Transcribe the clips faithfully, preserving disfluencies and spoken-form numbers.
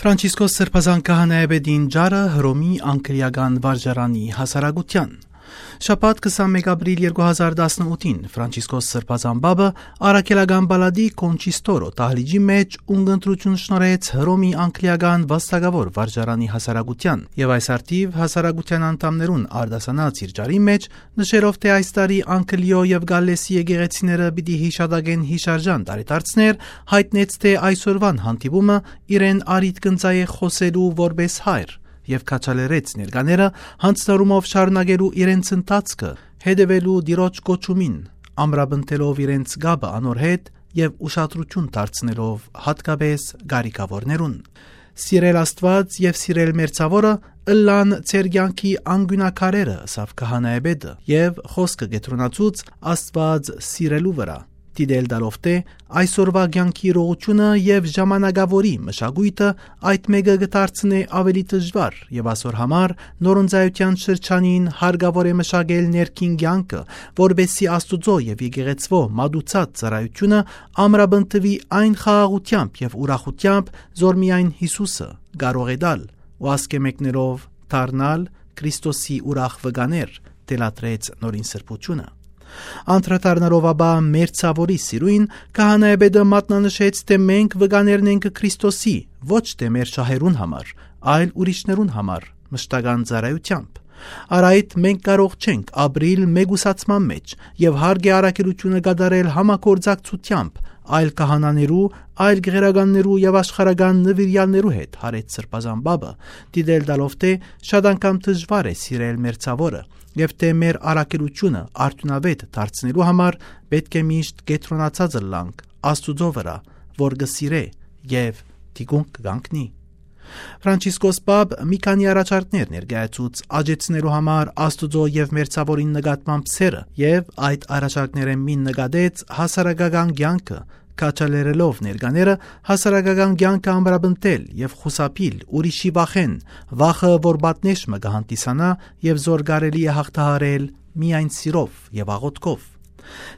Ֆրանցիսկոս Սրբազան քահանայապետին ճառը Հռոմի անգլիական վարժարանի հասարակութեան։ Շաբաթ, քսանմէկ ապրիլ երկու հազար տասնութին, Ֆրանցիսկոս Սրբազան Պապը առաքելական պալատի Կոնչիստորո դահլիճի մէջ ունկնդրութիւն շնորհեց Հռոմի անգլիական վաստակաւոր վարժարանի հասարակութեան եւ այս առթիւ հասարակութեան անդամներուն արտասանած իր ճառին մէջ, նշելով թէ այս տարի Անգլիոյ եւ Գալլէսի եկեղեցիները պիտի յիշատակեն յիշարժան տարեդարձներ, յայտնեց թէ այսօրուան հանդիպումը իրեն առիթ կ'ընծայէ խօսելու որպէս հայր եւ քաջալերեց ներկաները յանձնառումով շարունակելու իրենց ընթացքը, հետեւելու Տիրոջ կոչումին, ամրապնդելով իրենց կապը անոր հետ եւ ուշադրութիւն դարձնելով յատկապէս կարիքաւորներուն։ «Սիրել Աստուած եւ սիրել մեր ցաւորը ըլլան ձեր կեանքի անկիւնակարերը», ըսաւ քահանայապետը եւ խօսքը կեդրոնացուց Աստուած սիրելու վրայ, դիտել տալով թէ այսօրուայ կեանքի իրողութիւնը եւ ժամանակաւորի մշակոյթը այդ մէկը կը դարձնէ աւելի դժուար եւ ասոր համար նորընծայութեան շրջանին հարկաւոր է մշակել ներքին կեանքը, որպէսզի Աստուծոյ եւ եկեղեցւոյ մատուցած ծառայութիւնը ամրապնդուի այն խաղաղութեամբ եւ ուրախութեամբ, զոր միայն Յիսուսը կարող է տալ, ու ասկէ մեկներով դառնալ Քրիստոսի ուրախ վկաներ, թելադրեց Նորին Սրբութիւնը։ Անդրադառնալով ապա մեր ցաւորի սիրոյն, քահանայապետը մատնանշեց թէ մենք վկաներն ենք Քրիստոսի, ոչ թէ մեր շահերուն համար, այլ ուրիշներուն համար, մշտական ծառայութեամբ։ Առ այդ մենք կարող չենք ապրիլ մեկուսացման մէջ եւ հարկ է առաքելութիւնը կատարել համագործակցութեամբ այլ քահանաներու, այլ գերականներու եւ աշխարհական նուիրեալներու հետ, յարեց Սրբազան Պապը, դիտել տալով թէ շատ անգամ դժուար է սիրել մեր ցաւորը եւ թէ մեր առաքելութիւնը արդիւնաւէտ դարձնելու համար պէտք է միշտ կեդրոնացած ըլլանք Աստուծոյ վրայ, որ կը սիրէ եւ թիկունք կը կանգնի։ Ֆրանցիսկոս Պապ մի քանի առաջարկներ ներկայացուց աջեցնելու համար Աստուծոյ եւ մեր ցաւորին նկատմամբ սերը եւ այդ առաջարկներէն մին նկատեց հասարակական կեանքը, քաջալերելով ներկաները հասարակական կեանքը ամրապնդել եւ խուսափիլ ուրիշի վախէն, վախը, որ պատնէշ մը կը հանդիսանայ եւ զոր կարելի է յաղթահարել միայն սիրով եւ աղօթքով։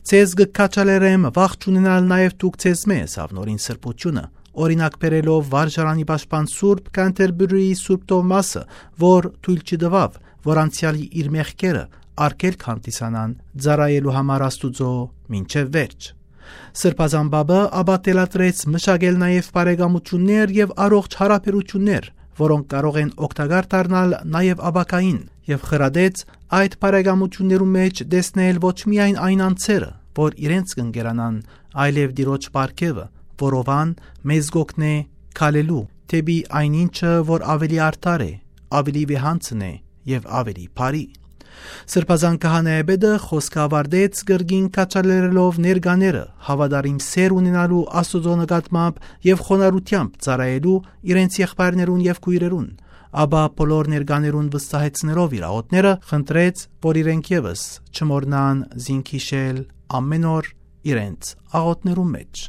«Ձեզ կը քաջալերեմ վախ չունենալ նաեւ դուք ձեզմէ», ըսաւ Նորին Սրբութիւնը, օրինակ բերելով վարժարանի պաշտպան Սուրբ Քանթերբուրիի Սուրբ Թովմասը, որ թոյլ չտուաւ, որ անցեալի իր մեղքերը արգելք հանդիսանան ծառայելու համար Աստուծոյ մինչեւ վերջ։ Սրբազան Պապը ապա թելադրեց մշակել նաեւ բարեկամութիւններ եւ առողջ յարաբերութիւններ, որոնք կարող են օգտակար դառնալ նաեւ ապագային, եւ խրատեց այդ բարեկամութիւններու մէջ տեսնել ոչ միայն այն անձերը, որ իրենց կ'ընկերանան, այլեւ Տիրոջ պարգեւը, որովհան մեզ կ'օգնէ քալելու դէպի այն ինչը, որ աւելի արդար է, աւելի վեհանձն է եւ աւելի բարի։ Սրբազան քահանայապետը խօսքը աւարտեց կրկին քաջալերելով ներկաները հաւատարիմ սեր ունենալու Աստուծոյ նկատմամբ եւ խոնարհութեամբ ծառայելու իրենց եղբայրներուն եւ քոյրերուն, ապա բոլոր ներկաներուն վստահեցնելով իր աղօթքները, խնդրեց, որ իրենք եւս չմոռնան զինք յիշել ամէն օր իրենց աղօթքներուն մէջ։